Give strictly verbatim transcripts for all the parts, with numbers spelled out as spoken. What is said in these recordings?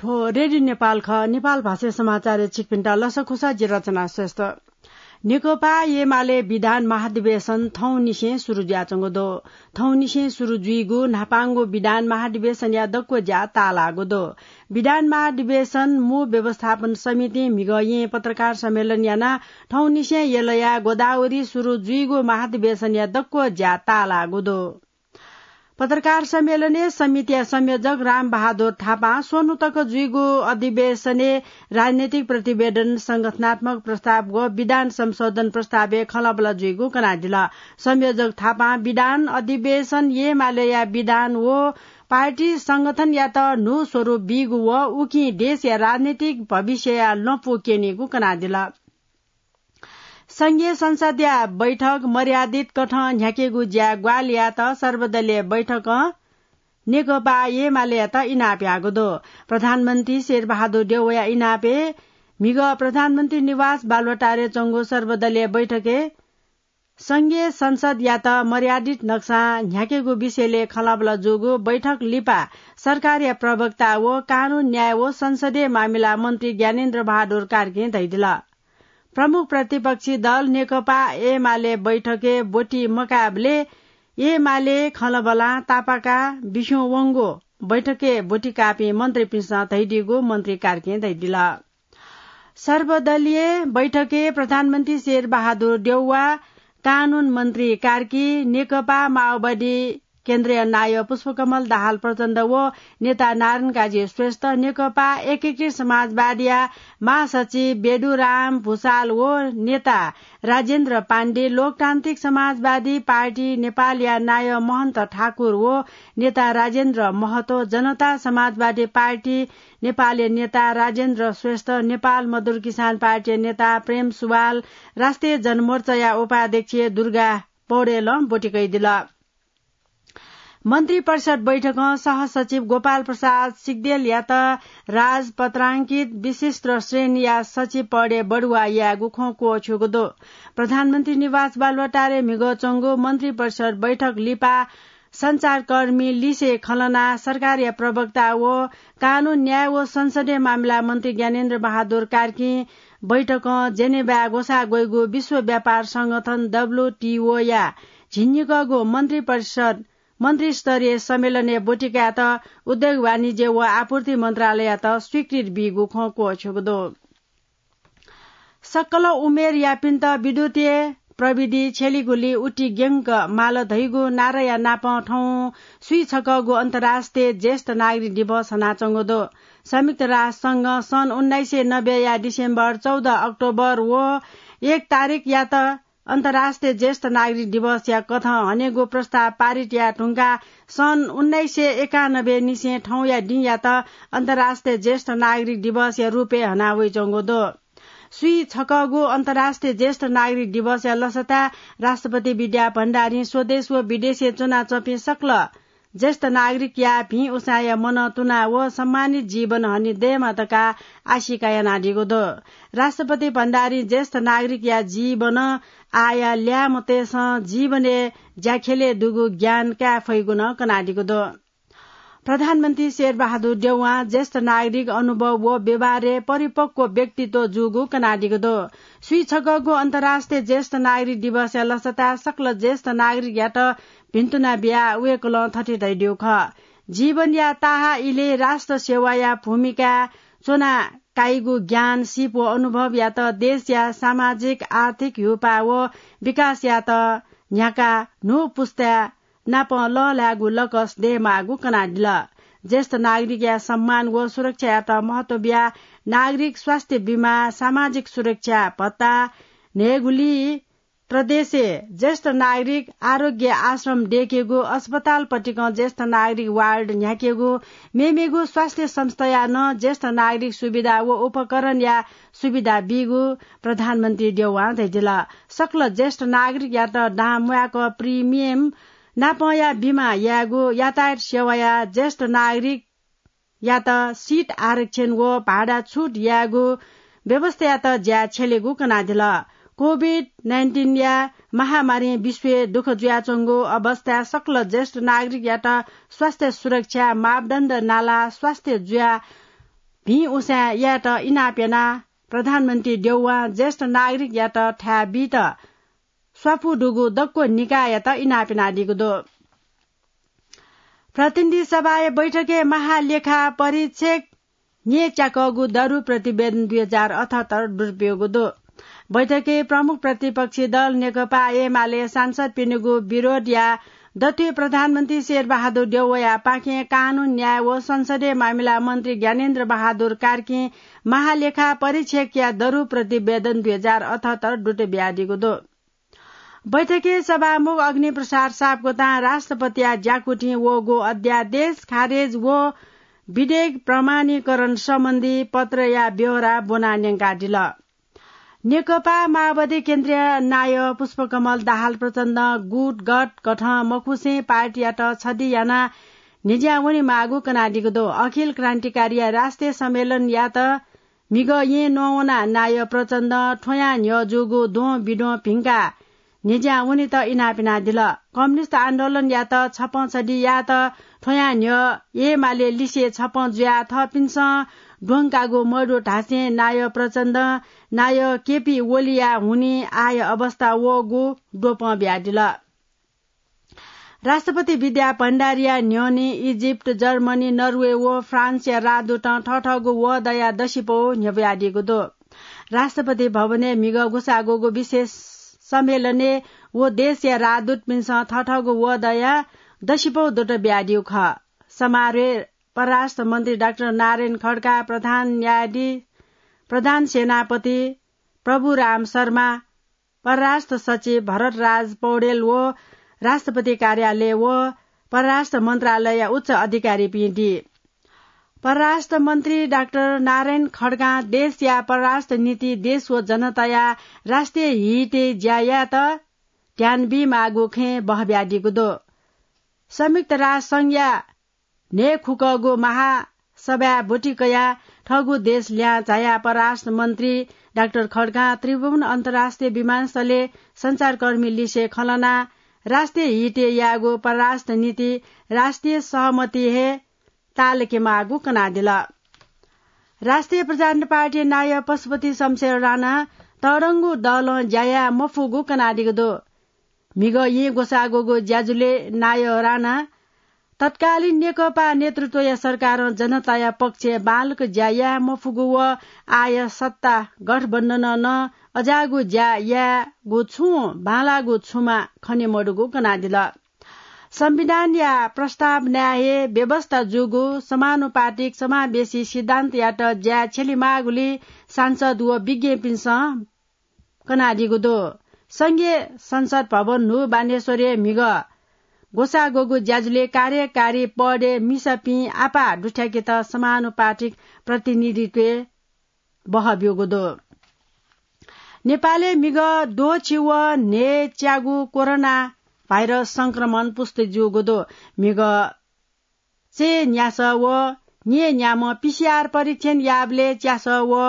हो, रेडियो नेपाल खः। नेपाल भाषा समाचारय् छिकपिन्त लसकुस, जि रचना श्रेष्ठ। नेकपा एमाले विधान महाधिवेशन थौंनिसें सुरु जुयाच्वंगु दु। थौंनिसें सुरु जुइगु न्हापांगु विधान महाधिवेशनया दक्व ज्या ताःलाःगु दु। विधान महाधिवेशन मू व्यवस्थापन समितिं म्हिगः येँ पत्रकार सम्मेलन यानाः थौंनिसें यलया गोदावरी सुरु जुइगु महाधिवेशनया दक्व ज्या ताःलाःगु दु। पत्रकार सम्मेलनय् समितिया संयोजक रामबहादुर थापां स्वन्हु तक जुइगु अधिवेशनय् राजनैतिक प्रतिवेदन, संगठनात्मक प्रस्ताव व विधान संशोधन प्रस्तावय् खँल्हाबल्हा जुइगु कनादिल। संयोजक थापां विधान अधिवेशन एमालेया विधान व पार्टी संगठनयात न्हू स्वरूप बीगु व उकिं देशया राजनैतिक भविष्यया लँपु क्यनीगु कनादिल। संघीय संसदया बैठक मर्यादित कथं न्ह्याकेगु ज्या ग्वाहालि यायेत सर्वदलीय बैठकं नेकपा एमालेयात इनाप याःगु दु। प्रधानमन्त्री शेरबहादुर देउवाया इनापय् म्हिगः प्रधानमन्त्री निवास बालुवाटारय् च्वंगु सर्वदलीय बैठकय् संघीय संसदयात मर्यादित नक्सां न्ह्याकेगु विषयलय् खँल्हाबल्हा जूगु बैठक लिपा सरकारया प्रवक्ता व कानून, न्याय व संसदीय मामिला मन्त्री ज्ञानेन्द्र बहादुर कार्कीं धयादिल। प्रमुख प्रतिपक्षी दल नेकपा एमाले बैठकय् ब्वति मकाःबलय् एमाले खँल्हाबल्हां तापाका बिस्युं वंगु बैठकय् ब्वति काःपिं मन्त्रीपिन्सं धयादीगु मन्त्री कार्कीं धयादिल। सर्वदलीय बैठकय् प्रधानमन्त्री शेरबहादुर देउवा, कानून मन्त्री कार्की, नेकपा माओवादी केन्द्रीय नायः पुष्पकमल दाहाल प्रचण्ड व नेता नारायणकाजी श्रेष्ठ, नेकपा एकीकृत समाजवादीया महासचिव बेदुराम भुसाल व नेता राजेन्द्र पाण्डे, लोकतान्त्रिक समाजवादी पार्टी नेपालया नायः महन्त ठाकुर व नेता राजेन्द्र महतो, जनता समाजवादी पार्टी नेपालया नेता राजेन्द्र श्रेष्ठ, नेपाल मजदुर किसान पार्टीया नेता प्रेम सुवाल, राष्ट्रिय जनमोर्चाया उपाध्यक्ष दुर्गा पौडेलं ब्वति कयादिल। मन्त्री परिषद बैठकं सहसचिव गोपाल प्रसाद सिग्देलयात राजपत्रांकित विशिष्ट श्रेणीया सचिव पदय् बढुवा यायेगु खँ क्वछ्यूगु दु। प्रधानमन्त्री निवास बालुवाटारय् म्हिगः च्वंगु मन्त्री परिषद बैठक लिपा सञ्चारकर्मी लिसे खँ ल्हानाः सरकारया प्रवक्ता व कानून, न्याय व संसदीय मामिला मन्त्री ज्ञानेन्द्र बहादुर कार्कीं बैठकं जेनेभाय् ग्वसाः ग्वइगु विश्व व्यापार संगठन डब्ल्यूटीओया झिंनिकःगु मन्त्री परिषद मन्त्रीस्तरीय सम्मेलनय् ब्वति कायेत उद्योग, वाणिज्य व आपूर्ति मन्त्रालययात स्वीकृति बीगु खँ क्वछ्यूगु दु। सकल उमेरयापिन्त विद्युतीय प्रविधि छ्यलीगुली उतिग्यंक माल धइगु नाराया नापं थौं स्वीछकःगु अन्तर्राष्ट्रिय ज्येष्ठ नागरिक दिवस हनाच्वंगु दु। संयुक्त राष्ट्र संघं सन् उन्नाइस सय नब्बेया डिसेम्बर चौध, अक्टोबर व एक तारिखयात अन्तर्राष्ट्रिय ज्येष्ठ नागरिक दिवसया कथं हनेगु प्रस्ताव पारित याये धुंकाः सन् उन्नाइस सय एकानब्बे निसें थौंया दिंयात अन्तर्राष्ट्रिय ज्येष्ठ नागरिक दिवसया रूपय् हना वइच्वंगु दु। स्वीछकःगु अन्तर्राष्ट्रिय ज्येष्ठ नागरिक दिवसया लसताय् राष्ट्रपति विद्या भण्डारीं स्वदेश व विदेशय् च्वनाच्वंपिं सकल ज्येष्ठ नागरिकया भिं उसाँया मनं तुना व सम्मानित जीवन हने दयेमा धकाः आशिका यानादीगु दु। राष्ट्रपति भण्डारीं ज्येष्ठ नागरिकया जीवन आया ल्याय्म्हतय्सं जीवनय् ज्याख्यलय् दुगु ज्ञान काये फइगु नं कनादीगु दु। प्रधानमन्त्री शेरबहादुर देउवां ज्येष्ठ नागरिक अनुभव व व्यवहारय् परिपक्व व्यक्तित्व जूगु कनादीगु दु। स्वीछकःगु अन्तर्राष्ट्रिय ज्येष्ठ नागरिक दिवसया लसताय् सकल ज्येष्ठ नागरिकयात भिन्तुना बियाः वय्कलं थथे धयादीगु खः, जीवनया ताहाः इलय् राष्ट्र सेवाया भूमिकाय् च्वना काइगु ज्ञान, सिप व अनुभवयात देशया सामाजिक, आर्थिक ह्यूपाः व विकासयात न्ह्याकाः न्हू पुस्ताय् नाप लःल्हायेगु लकस दयेमाःगु कनादिल। ज्येष्ठ नागरिकया सम्मान व सुरक्षायात महत्व बियाः नागरिक स्वास्थ्य बिमा, सामाजिक सुरक्षा भत्ता न्हयेगुली प्रदेशय् ज्येष्ठ नागरिक आरोग्य आश्रम दयेकेगु, अस्पताल पतिकं ज्येष्ठ नागरिक वार्ड न्ह्याकेगु, मेमेगु स्वास्थ्य संस्थाया नं ज्येष्ठ नागरिक सुविधा व उपकरणया सुविधा बीगु प्रधानमन्त्री देउवां धयादिल। सकल ज्येष्ठ नागरिकयात दां म्वाय्क प्रिमियम नापंया बिमा यायेगु, यातायात सेवाया ज्येष्ठ नागरिकयात सिट आरक्षण व भाडा छुट यायेगु व्यवस्थायात ज्याय् छ्यलेगु कनादिल। कोभिड नाइन्टिनया महामारीं विश्वय् दुःख जुयाच्वंगु अवस्थाय् सकल ज्येष्ठ नागरिकयात स्वास्थ्य सुरक्षा मापदण्ड नाला स्वास्थ्य जुया भिं उसाँय् यायेत इनाप यानाः प्रधानमन्त्री देउवां ज्येष्ठ नागरिकयात थाय् बीत स्वापू दुगु दक्व निकाययात इनाप यानादीगु दु। प्रतिनिधि सभाया बैठकय् महालेखा परीक्षक न्यय् च्याकःगु दरु प्रतिवेदन दुई हजार अठहत्तर दुरुपयोगु दु। बैठकय् प्रमुख प्रतिपक्षी दल नेकपा एमाले सांसदपिनिगु विरोधया दथुइ प्रधानमन्त्री शेरबहादुर देउवाया पाखें कानून, न्याय व संसदीय मामिला मन्त्री ज्ञानेन्द्र बहादुर कार्कीं महालेखा परीक्षकया दरु प्रतिवेदन दुई हजार अठहत्तर दुत बियादीगु दु। बैठकय् सभामुख अग्निप्रसाद सापकोटां राष्ट्रपतिया ज्याकुथिं वःगु अध्यादेश खारेज व विधेयक प्रमाणीकरण सम्बन्धी पत्रया ब्यहोरा ब्वनाः न्यंकादिल। नेकपा माओवादी केन्द्रीय नायः पुष्पकमल दाहाल प्रचण्डं गुटगत कथं मखुसें पार्टीयात छधि यानाः न्ह्यज्यां वनेमाःगु कनादीगु दु। अखिल क्रान्तिकारीया राष्ट्रिय सम्मेलनयात म्हिगः येँ नवानाः नायः प्रचण्डं थ्वयां न्ह्यः जूगु द्वं बिद्वं भिंकाः न्ह्यज्यां वनेत इनाप यानादिल। कम्युनिस्ट आन्दोलनयात छपं छधि यायेत थ्वयां न्ह्यः एमाले लिसे छपं जुयाः थःपिन्सं द्वंकागु मदु धासें नायः प्रचण्डं नायः केपी ओलीया हुनिं आःया अवस्था वःगु द्वपं बियादिल। राष्ट्रपति विद्या भण्डारीया न्ह्यःने इजिप्ट, जर्मनी, नर्वे व फ्रान्सया राजदूतं थःथःगु वहःदया दसिपौ न्ह्यब्वयादीगु दु। राष्ट्रपति भवनय् म्हिगः ग्वसाः ग्वःगु विशेष सम्मेलनय् व देशया राजदूतपिन्सं थःथःगु वहःदया दसिपौ दुत बियादीगु खः। समारोहय् परराष्ट्र मन्त्री डाक्टर नारायण खड्का, प्रधान न्यायाधीश, प्रधान सेनापति प्रभुराम शर्मा, परराष्ट्र सचिव भरतराज पौडेल व राष्ट्रपति कार्यालय व परराष्ट्र मन्त्रालयया उच्च अधिकारीपिं दी। परराष्ट्र मन्त्री डाक्टर नारायण खड्कां देशया परराष्ट्र नीति देश व जनताया राष्ट्रिय हितय् ज्या यायेत ध्यान बीमाःगु खँय् बहबियादीगु दु। संयुक्त राष्ट्र संघया न्हय्‌खुकःगु महासभाय् ब्वति कयाः थःगु देश ल्याहां झायाः परराष्ट्र मन्त्री डाक्टर खड्कां त्रिभुवन अन्तर्राष्ट्रिय विमानस्थलय् सञ्चारकर्मी लिसे खँ ल्हानाः राष्ट्रिय हितय् याःगु परराष्ट्र नीति राष्ट्रिय सहमति हे ताःलाकेमाःगु कनादिल। राष्ट्रिय प्रजातन्त्र पार्टी नायः पशुपति शमशेर राणा तःधंगु दलं ज्या याये मफुगु कनादीगु दु। म्हिगः येँ ग्वसाः ग्वःगु ज्याझ्वलय् नायः राणा तत्कालीन नेकपा नेतृत्वया सरकारं जनताया पक्षय् बांलाक ज्या याये मफुगु व आःया सत्ता गठबन्धनं नं अज्याःगु ज्या यायेगु छुं बांलाःगु छुमा खने मदुगु कनादिल। संविधानया प्रस्तावनाय् हे व्यवस्था जूगु समानुपातिक समावेशी सिद्धान्तयात ज्याय् छ्यलेमाःगुलिं सांसद व विज्ञपिन्सं कनादीगु दु। संघीय संसद भवन न्हू बानेश्वरय् म्हिगः ग्वसाः ग्वःगु ज्याझ्वलय् कार्यकारी पदय् मिसापिं आपाः दुथ्याकेत समानुपातिक प्रतिनिधित्वय् बहःब्यूगु दु। नेपालय् म्हिगः द्वःछि व न्हय्‌च्यागु कोरोना भाइरस संक्रमण पुष्टि जूगु दु। म्हिगः चय् न्यासः व न्यय् न्याम्ह पीसीआर परीक्षण याःबलय् च्यासः व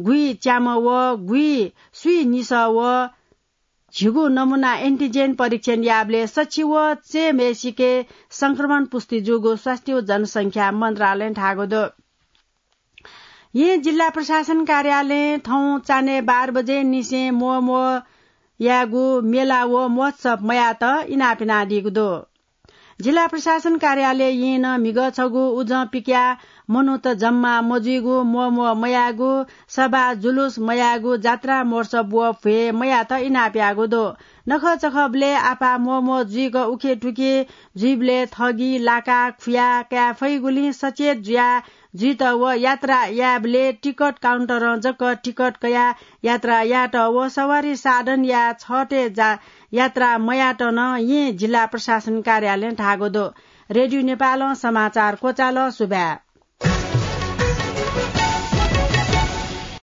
गुइच्याम्ह व गुइसुइनिसः व झिगू नमूना एन्टिजेन परीक्षण याःबलय् सछि व चय्‌म्हय्‌सिके संक्रमण पुष्टि जूगु स्वास्थ्य व जनसंख्या मन्त्रालयं धाःगु दु। येँ जिल्ला प्रशासन कार्यालयं थौं चान्हय् बाह्र बजे निसें म्वःम्वः यायेगु मेला व महोत्सव मयायेत इनाप यानादीगु दु। जिल्ला प्रशासन कार्यालय येँनं म्हिगः छगू उजं पिकयाः मनूत जम्मा मजुइगु, म्वःम्वः मयायेगु, सभा जुलुस मयायेगु, जात्रा महोत्सव व भ्वय् मयायेत इनाप याःगु दु। नखःचखःबलय् आपाः म्वःम्वः जुइक उखेथुखे जुइबलय् थगि, लाका, खुया काये फइगुलिं सचेत जुयाः जुइत व यात्रा यायेबलय् टिकट काउन्टरं जक टिकट कयाः यात्रा यायेत व सवारी साधनया छतय् जा-, यात्रा मयायेत नं येँ जिल्ला प्रशासन कार्यालयं धाःगु दु। रेडियो नेपालं समाचार क्वचाल। सुभाय्।